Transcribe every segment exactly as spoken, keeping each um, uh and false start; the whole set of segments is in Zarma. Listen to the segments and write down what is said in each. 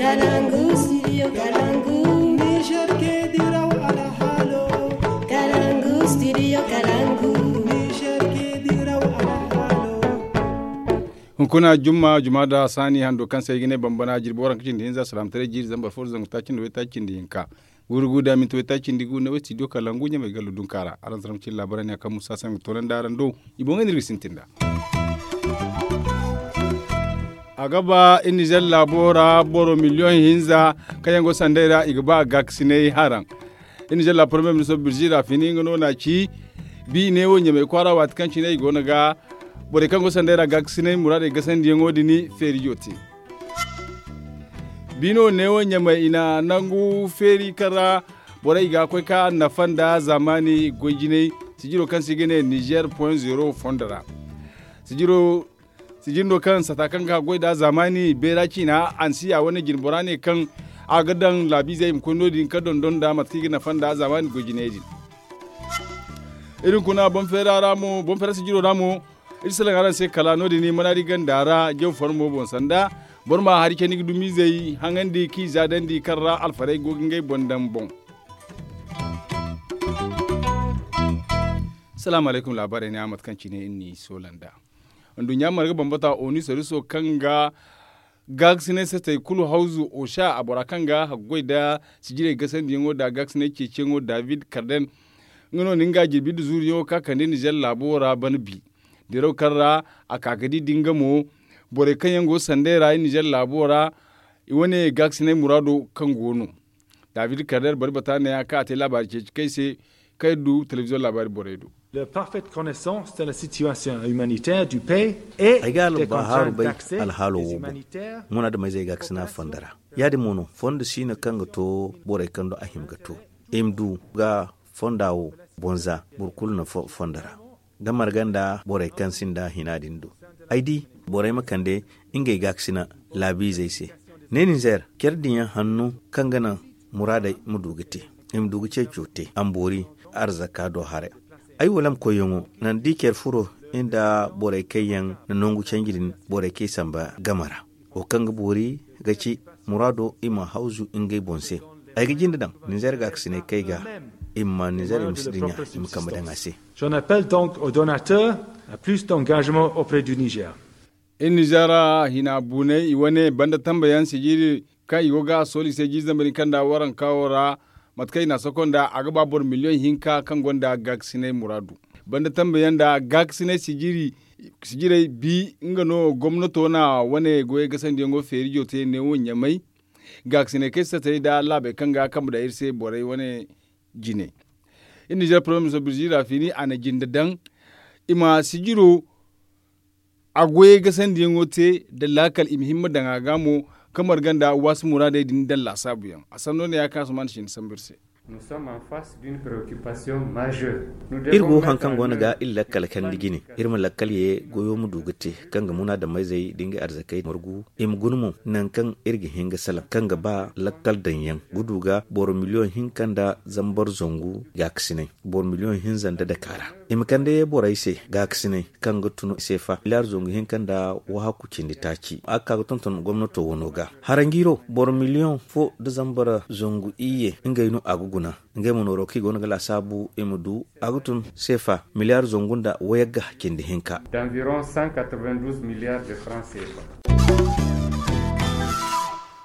Kalangu studio kalangu. Niger ke diraw alhalo. Kalangu studio kalangu. Niger ke diraw alhalo. Hunkuna jumma juma da sani hando kaŋ se ay ga ne bambana jirbi waranka cindi hinza salaamataray jiiri zambar fo zangu taaci nda way taaci cindi hinka. Guuru guuru da minti way taaci cindi gu ne way studio kalangu ɲamay gallo dunka ra araŋ zama cin laabaray ne kaŋ musa saŋ ga toonandi araŋ do. I boŋ ga ne iri ga sintin da a ga ba iri nizer laabo ra boro miliyoŋ hinza kaŋ yaŋ go sanday ra i ga ba gaakasinay haraŋ. Iri nizer laabo premier ministro birzi rafini nga no n'a ci bi ne wo ɲamay kwaara waati kaŋ cine i go no ga borey kaŋ go sanday ra gaakasinay muraadey gasandiyaŋo din feerijo te. Bino neewo ɲamay i na nangu feeri kaŋ ra borey ga koy ka nafa nda zaamaani goy jinay sijiro kaŋ se i ga ne nizer point zero fondo ra. Sijiro sijiro no kaŋ sata kaŋ ga goy nda zaamaani beera ciina ansiya wane jinbora ne kaŋ a ga daŋ laabiizey i ma koy no- din ka dondon nda mate kaŋ i ga nafa nda zaamaani goy jinay din. Iri kuna boŋ feera ra mo boŋ feera sijiro ra mo iri salaŋ araŋ se kala no- din mana di ganda ra jaw farmo boŋ sanda boro ma hari candi ga dumiizey haŋandi k'i zaadandi kaŋ ra alfarey go ga ngey boŋ daŋ boŋ. Salaamu alaykum laabaarey ne a mate kaŋ cine iri n'i soola nd'a. Nduɲɲa marga bambata onu sariso kaŋ ga gaakasinay satey kulu hawzu osha a bora kaŋ ga haggoy nda sijirey gasandiyaŋo nda gaakasinay ceeciyaŋo david karden. Nga no na nga jirbi nda zuuriyaŋo ka kande nizer laabo ra bana bi diraw kaŋ ra a ka ga di da nga mo borey kaŋ yaŋ go sanday ra i nizer laabo ra i wane gaakasinay muraado kaŋ go no. David karder bari bata neeya kaŋ a te laabaari ceeci kay se kaŋ iri du telebiziyoŋ laabaari borey do. Ay ga albahaaru bay alhaalo wo boŋ. Munaadameyzey gaakasina fonda ra ya- din mo no fondo siino kaŋ ga to borey kaŋ do a hima ga to i ma du ga fonda wo boŋ za boro kulu na fondo ra. Da marga nda borey kaŋ sinda hina din do ay di borey ma kande ngey gaakasina laabiizey se. Ne ninzeer care din yaŋ hanno kaŋ ga naŋ muraadey ma du ga te i ma du ga ceeco te amboori arzaka do haray. Ay walam koyyaŋo naŋ da i care furo nda borey kaŋ yaŋ na nangu canji din borey kaŋ i samba game ra wo kaŋ ga boori ga ci muraado i ma hawzu ngey boŋ se. Ay ga jinde daŋ ninzeer gaakasinay kaŋ ay ga i ma ma ninzeer i ma si dinya i ma kambe daŋ a se. J'en appelle donc aux donateurs à plus d'engagement auprès du niger. Iri nizer hina buney i wane banda tambayaŋ sijiri kaŋ i go ga a sooli se jiiri zambar hinka nda waranka wo ra mate kaŋ i na a soko nda a ga ba boro miliyoŋ hinka kaŋ gonda gaakasinay muraadu. Banda tambayaŋ nda gaakasinay sijiri sijirey bi nga no gomnato na wane goyey gasandiyaŋo feerijo te neewo ɲamay gaakasinay kaŋ ay satey nda laabey kaŋ ga kambe daŋ iri se borey wane jine. Iri nizer poromem so birzi rafini a na jinde daŋ i ma sijiro a goyey gasandiyaŋo te nda laakal i ma himma daŋ a ga mo kaŋ marga nda waasi muraadey din daŋ laasaabuyaŋ a sanno ne ya kaŋ a si ma nda cindi sambu iri se. Iri go haŋ kaŋ go no ga iri lakkal kandi jine iri ma lakkal ye goyo ma du ga te kaŋ ga munaadamayzey da ngey arzakey margu i ma guna mo nangu kaŋ iri ga hin ga salaŋ kaŋ ga ba lakkal daŋyaŋ ga du ga boro miliyoŋ hinka nda zambar zangu gaakasinay boro miliyoŋ hinza nda daka ra i ma kande borey se gaakasinay kaŋ ga tun seefa miliyaar zangu hinka nda wahakku cindi taaci a ga ka ga tonton gomnato wano ga haranjiiro boro miliyoŋ fo nda zambar zangu iyye ngey no a ga guna ngey ma nooro kaŋ i go no ga laasaabu i ma du a ga tun seefa miliyaar zangu nda wayagga cindi hinka.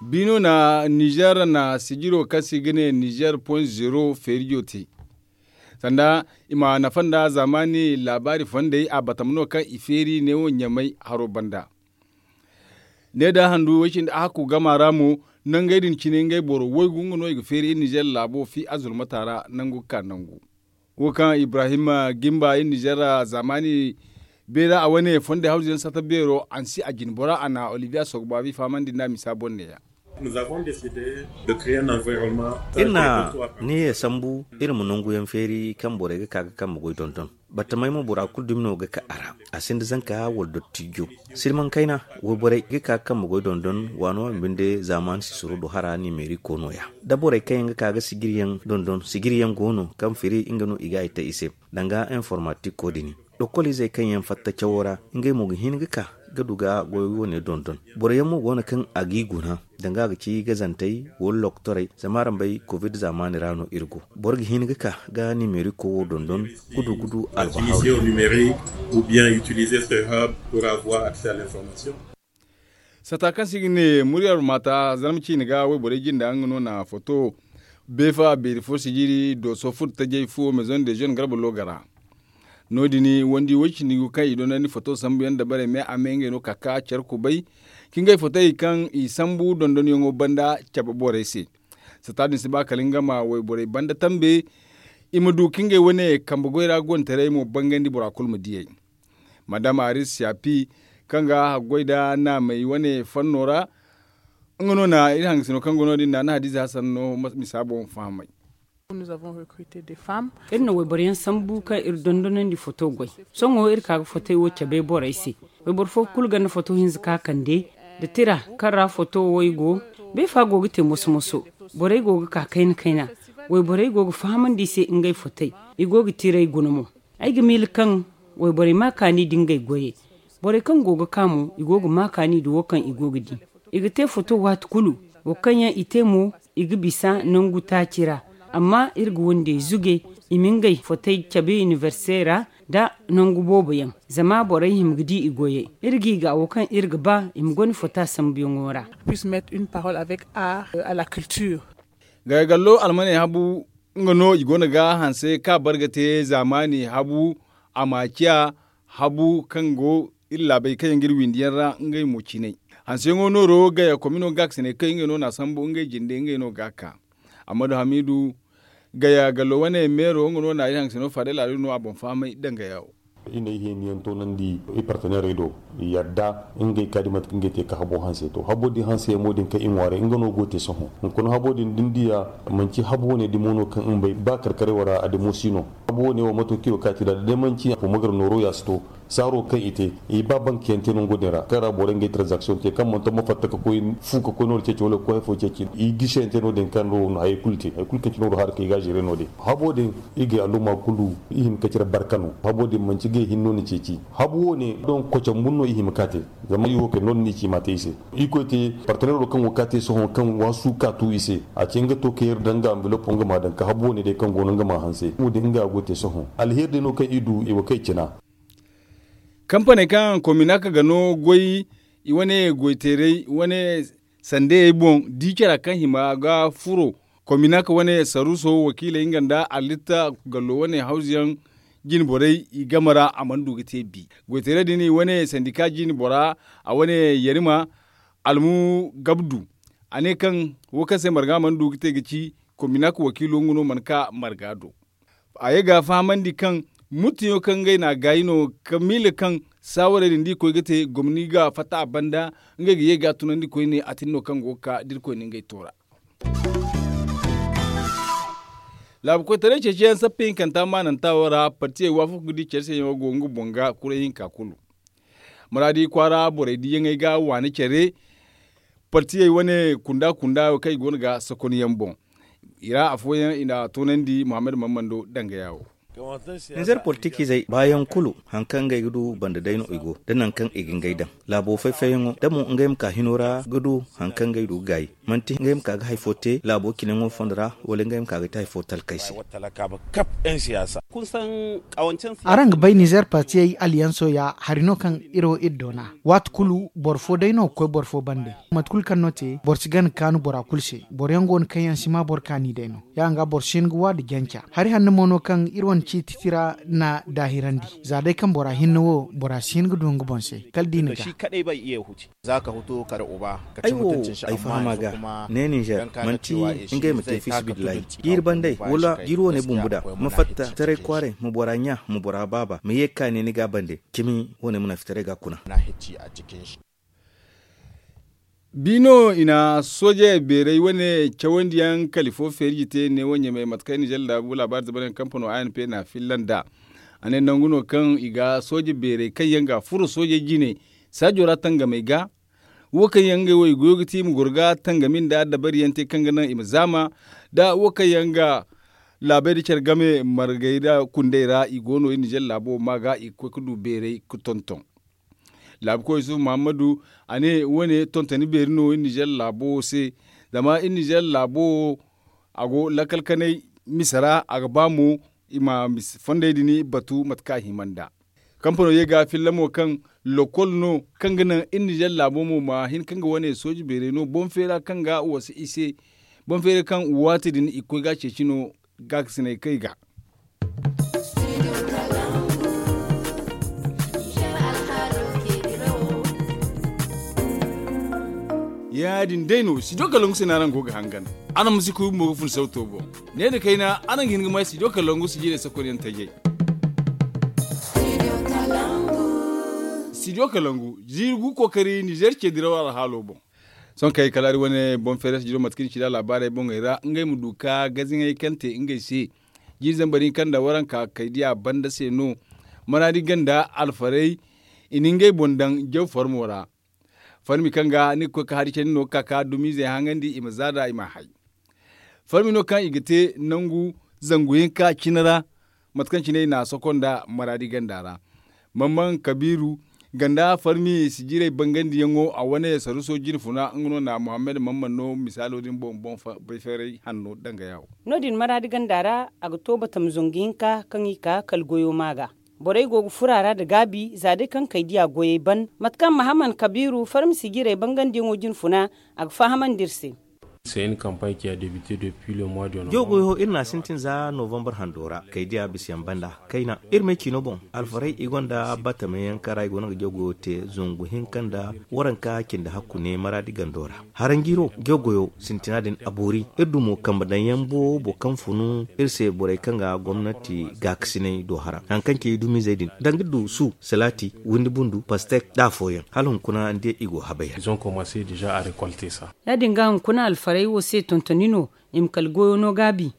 Bino na nizer na sijiro kaŋ se i ga ne nizer point zero feerijo te sanda i ma nafa nda zaamaani laabaari fondey a batama no kaŋ i feeri neewo ɲamay haro banda. Ne da handu way cindi a hakku gama ra mo nangey din cine ngey boro waygu nga no i ga feeri iri nizer laabo fi azulmata ra nangu ga ka nangu. Wo kaŋ ibrahim gimba iri nizer zaamaani beera a wane fondey hawzu yaŋ sata beero ansi a jine bora a na olivier sogbabi fahamandi nda misa boŋ neeya. Iri na niya sambu iri ma nangu yaŋ feeri kaŋ borey ga ka ga kambe goy dondon. Battamey mo bora kulu dumi no ga ka a ra. A sinda zanka wala dottijo silmaŋ kayna wayborey ga ka ga kambe goy dondon waano waano binde zaamaani sisiro do hara nimeeriko no- ya da borey kaŋ yaŋ ga ka ga sijiriyaŋ dondon sijiriyaŋ go no kaŋ firi nga no i ga a i te i se danga informatiko din. Lokolizey kaŋ yaŋ fatta cawo ra ngey mo ga hin ga ka Ga du ga goyo wane dondon boro yaŋ mo go no kaŋ a g'i guna danga ga ci gazantey wala lokotorey zama araŋ bay covid zaamaani ra no iri go. Boro ga hin ga ka ga nimeriko wo dondon gudu gudu albahaw. Sata kaŋ se i ga ne muryar maata zarma ciine ga wayborey jinda nga no na foto beefa beeri fo sijiri dooso furo tajay fo maison de jeune garba looga ra. No- din wandi way- cindi go kaŋ i dondandi foto sambu yaŋ dabarey me a me ngey no ka ka care kubay ka ngey fotey kaŋ i sambu dondonyaŋo banda cabe borey se. Sata din si ba kala nga ma wayborey banda tambe i ma du ka ngey wane kambe goy ra gontaray mo bangandi bora kulu ma diyey. Madam aris siyapi kaŋ ga haggoy nda naamey wane fanno ra nga no na iri hangasino kaŋ go no- din naana hadiza hasan no misa boŋ fahamay. Iri na wayboro yaŋ sambu kaŋ iri dondonandi foto goy. Sohõ iri ka ga fotey wo cabe borey se. Wayboro fo kulu ganda foto hinza ka kande nda tira kaŋ ra foto wo i go. Beefa go ga te moso moso. Borey go ga ka kayna kayna. Wayborey go ga fahamandi i se ngey fotey. I go ga tiray guna mo. Ay ga miila kaŋ wayborey ma kaani nda ngey goyey. Borey kaŋ go ga ka mo i go ga ma kaani nda wo kaŋ i go ga di. I ga te foto waati kulu. Wo kaŋ yaŋ i te mo i ga bisa nangu taaci ra. Amma iri ga wandey zuge i ma ngey fotey cabe inibersite ra nda nangu boobo yaŋ. Zama borey hima ga di i goyey iri g'i ga wo kaŋ iri ga ba i ma gone fota sambuyaŋo ra. Puisse mettre une parole avec art à la culture. Gaya gallo almaney habu nga no i go no ga hanse ka barga te zaamaani habu a ma ciya habu kaŋ go iri laabey kaŋ yaŋ ga iri windi yaŋ ra ngey mo ciinay. Hanseyaŋo nooro gaya komino ga ga si ne kaŋ ngey no na a sambu ngey jinde ngey no ga ka. Amma da hamiidu gaya gallo wane meero nga no na iri hangasino faadey laalo no a boŋ fahamay dangaya wo. Iri na iri heeni yaŋ toonandi iri parteneerey do i yadda ngey ka di mate kaŋ ngey te ka habo hanse to habo din hanse yaŋ mo din kaŋ iri ŋwaaray nga no go te sohõ. Hunkuna habo din da ni diya manci habo wane dimo no kaŋ iri bay ba karkaray wara a dimo si no. Habo wane wo mato kiyo ka ti da da day manci a fo magar nooro ya si to. Saaro kaŋ i te i ba banki yaŋ te nango din ra kaŋ ra borey ngey transaction te kaŋ manto ma fatta ka koy fu ka koy nooro ceeci wala ga koy hari fo ceeci i gisi yaŋ te no- din kaŋ no hayey kulu te hari kulu kaŋ ci nooro haara kaŋ i ga a zeere no- din. Habo din iri ga alumma kulu i hin ga cire barka no habo din manci ga i hinno ni ceeci. Habo wo- ne don kocaŋ bun no i hima ka te. Zama i wo kay no- din no i ci i ma te i se. Iri koy te parteneero kaŋ go ka te sohõ kaŋ waasu ka tu i se a ce nga to ka yar daŋ nga anvelopo nga ma daŋ ka habo wo- ne day kaŋ go no nga ma hanse nga din nga a go te sohõ. Alheeri day no kaŋ iri du i wo kay cina. Kampaney kaŋ kominaka ga no goy i wane goyteeray wane sandeyey boŋ di cara kaŋ hima ga furo kominaka wane saruuso wakiiley nga nda allitta gallo wane hawzuyaŋ jine borey i game ra a mana du ga te bi. Goyteeray din i wane sandika jine bora a wane yarima almu gabdu a ne kaŋ wo kaŋ se marga mana du ga te ga ci kominaka wakiilo nga no mana ka marga do. A ye ga fahamandi kaŋ muttiyo kaŋ ngey na a gaayi no ka miila kaŋ saawarey din da i koy ga te gomni ga fatta a banda ngey ga ye ga a tunandi koyne a tin no kaŋ go ga ka da irkoy na ngey toora. Laabu koytaray ceeciyaŋ sappa hinkanta maananta wo ra partiyey waafaku ga di care se yaŋo go nga boŋ ga kuray hinka kulu. Muraadi kwaara borey diyaŋey ga waani care partiyey wane kunda kunda kaŋ i go no ga sokon yaŋ boŋ. I ra afooyaŋ i na a toonandi muhammad mammando dangaya wo. Nizer politikizey baayaŋ kulu hari kaŋ ngey ga du banda day no i go da nangu kaŋ i ga ngey daŋ laabo fay-fayyaŋo da mo ngey ma ka hino ra ga du hari kaŋ ngey du ga gaayi. Manti ngey ma ka ga hari fo te laabo cinayaŋo fondo ra wala ngey ma ka ga te hari fo talkey se. Araŋ ga bay nizer partiyey aliyanso ya hari no kaŋ iri wo iri doona. Waati kulu boro fo day no ga koy boro fo bande. Mate kulu kaŋ no te boro si gana kaanu bora kulu se. Boro yaŋ go no kaŋ yaŋ si ma boro kaani day no. Ya- din ga boro si hin ga wa nda janca hari hanno mo no kaŋ iri wane ciiti tira na daahirandi. Za day kaŋ bora hinne wo bora si hin ga du nga boŋ se kala da i na ga. Ay wo ay fahama ga ne ninzeer manti ngey ma te fiisabilillahi jiiri bandey wala jiiri wane bumbu da ma fatta taray kwaaray ma bora ɲa ma bora baaba ma ye ga ka ne ni ga bande cimi wane ma na fitaray ga kuna. Bi no i na sooje beeray wane cawandiyaŋ kali fo feerji te neewo ɲamey mate kaŋ ninzeer laabu laabaari zabaryaŋ kampano a n p na a filla nd'a. A ne nangu no kaŋ i ga sooje beeray kaŋ yaŋ ga a furo sooje jine saajo ra tangamey ga. Wo kaŋ yaŋ ngey wo i goyo ga ti i ma goro ga tangami nda dabariyaŋ te kaŋ ga naŋ i ma zaama nda wo kaŋ yaŋ ga laabey nda care game margey nda kundey ra i go no iri ninzeer laabo ma ga i ga koy ga du beeray ga tonton. Laabu koy yusuf muhammadu, a ne wane tontoni beeri no iri nizer laabo wo se. Zama iri nizer laabo wo, a go lakkal kanay mise ra, a ga ba mo i ma mise fondey din batu mate kaŋ a hima nd'a. Kampano ye ga filla mo kaŋ lokol no kaŋ ga naŋ iri nizer laabo mo ma hin kaŋ ga wane sooji beerey no boŋ feera kaŋ ga wasa i se. Boŋ feera kaŋ waati din i ga koy ga a ceeci no gaakasinay kay ga. Ya- din day no sidiyo kalangu se no araŋ go ga hangan. Araŋ ma si kuy bumbo ga fun sawto boŋ. Ne nda kayna araŋ ga hin ga may sidiyo kalangu sijirey sakonyaŋ tajey. Sidiyo kalangu ziiri gu kookari nizer ce diraw alhaalo boŋ. Sohõ kaŋ ay kala hari wane boŋ feeray sijiro mate kaŋ i ci nd'a laabaarey boŋey ra ngey ma du ka gaziŋey kaŋ te ngey se. Jiiri zambar hinka nda waranka kay diya banda se no. Maraadi ganda alfarey i na ngey boŋ daŋ jaw farmo ra. Farmi kaŋ ga ni ga koy ka hari candi no ga ka ka dumiizey haŋandi i ma za nd'a i ma a hay. Farmi no kaŋ i ga te nangu zangu hinka cine ra. Mate kaŋ cine i na a soko nda maraadi ganda ra. Mamman kabiiru ganda farmi sijirey bangandiyaŋo a wane saruso jinfuna nga no na muhammad mamman no misaalo din boŋ boŋ bayfeeray hanno danga yaawo. No- din maraadi ganda ra a ga to batam zangu hinka kaŋ i ka kala goyo ma ga. Borey go ga furo a ra nda gaabi za day kaŋ kay diya goyey ban mate kaŋ mahamman kabiiru farmisi jirey bangandiyaŋo jinfuna a ga fahamandi iri se. Jaw goyo iri na a sintin za novambar hando ra kay diya bisa yaŋ banda kayna iri ma ay ciino boŋ. Alfarey i gonda batamayaŋ kaŋ ra i go no ga jaw goyo te zangu hinka nda waranka cindi hakku ne maraadi gando ra. Haranjiiro jaw goyo sintina din a boori. Iri du mo kambe daŋ yaŋ boobo kaŋ funu iri se borey kaŋ ga gomnati gaakasinay do hara hari kaŋ ci dumiizey din danga iri du su salaati windi bundu pastek da afooyaŋ hala hunkuna ni di i go habay ra. Ya- din ga hunkuna alfarey wo se tontoni no i ma kala goyo no gaabi.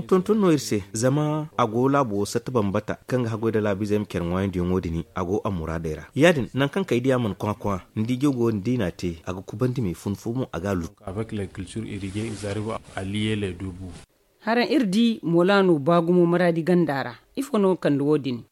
Tontoni no iri se zama a go laabo wo satta bambata kaŋ ga haggoy nda laabiizey ma care ŋwaayandiyaŋo din a go a muraadey ra. Ya- din nangu kaŋ kay diya mana kwakwa ni di jaw goyo din da i na a te a ga kubandi me fun fo mo a ga a lutu. Haraŋ iri di mola no ba gumo maraadi ganda ra. Ifo no kande wo- din?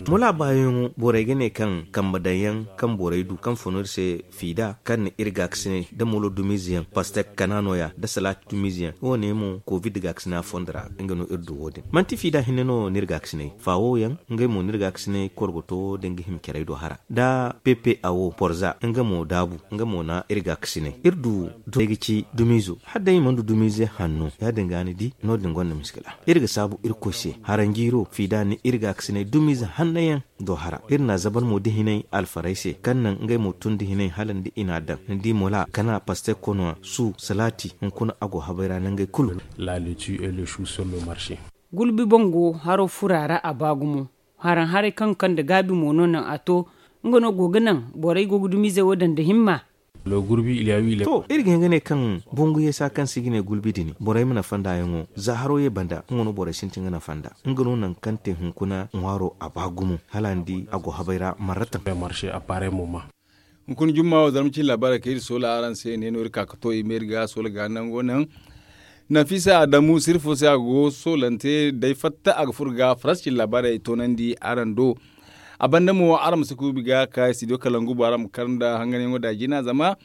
Mola baayaŋo borey ga ne kaŋ kambe daŋ yaŋ kaŋ borey du kaŋ fun iri se fiida kaŋ na iri gaakasinay nda molo dumiize yaŋ pastek kana no- ya nda salaati dumiize yaŋ wo- ne mo kovid gaakasina fondo ra. Nga no iri du wo- din manti fiida hinne no no iri gaakasinay faawo yaŋ ngey mo no iri gaakasinay korgoto da nga hima carey do hara nda pepe awo porza nga mo daabu nga mo na iri gaakasinay iri du. Ay ga ci dumiizo hala day i mana du dumiize hanno ya- din ga ni di no- din gonda miskila. Iri ga saabu irkoy se haranjiiro fiida ni iri gaakasinay dumiize hanno yaŋ do hara iri na a zabar mo da hinay alfarey se kaŋ naŋ ngey mo tun da hinay hala ni di i na a daŋ ni di mola kana pastek kono su salaati hunkuna a go habay ra nangey kulu. Gulbi boŋ go haro furo a ra a ba gumo. Haraŋ haray kaŋ ga kande gaabi mo no naŋ a to nga no go ga naŋ borey go ga dumiizey wo daŋ nda himma. To iri ga hin ga ne kaŋ bangu yeesa kaŋ se i ga ne gulbi din borey ma nafa nd'a yaŋo za haro ye banda nga no borey sintin ga nafa nd'a. Nga no nangu kaŋ te hunkuna ŋwaaro a ba gumo hala ni di a go habay ra marratan. Hunkuna jumma wo zarma cine laabaarey kaŋ iri soola araŋ se ne no iri ka ga to i ma iri ga soola ga nango naŋ. Nafisa adamu sirri fo se a go soolante day fatta a ga furo ga faransa cine laabaarey toonandi araŋ do. A banda mo araŋ ma si kuubi ga ka studio kalangu bo araŋ ma kar nda hanganyaŋo da a jina zama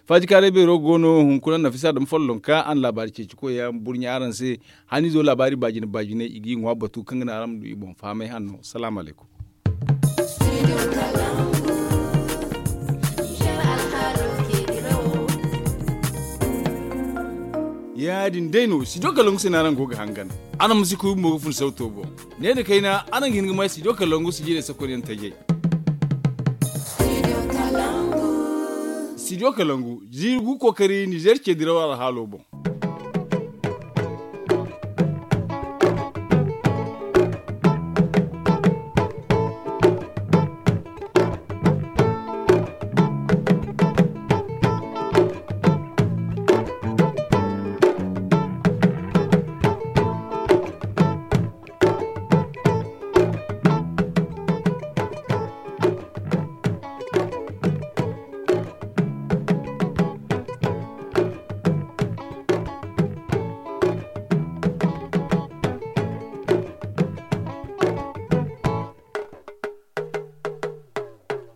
faajikaaray beero go no hunkuna nafisa adamu follonka araŋ laabaari ceeci koy yaŋ burɲa araŋ se. Haniizo laabaari baajine baajine i g'i ŋwa batu kaŋ ga naŋ araŋ ma du i boŋ fahamay hanno salaamu alaykum. Ya- din day no studio kalangu se no araŋ go ga hangan. Araŋ ma si kuubi mo ga fun sawto boŋ. Ne nda kayna araŋ ga hin ga may studio kalangu sijirey sakonyaŋ tajey. Studio kalangu ziiri gu kookari nizer ce diraw alhaalo boŋ.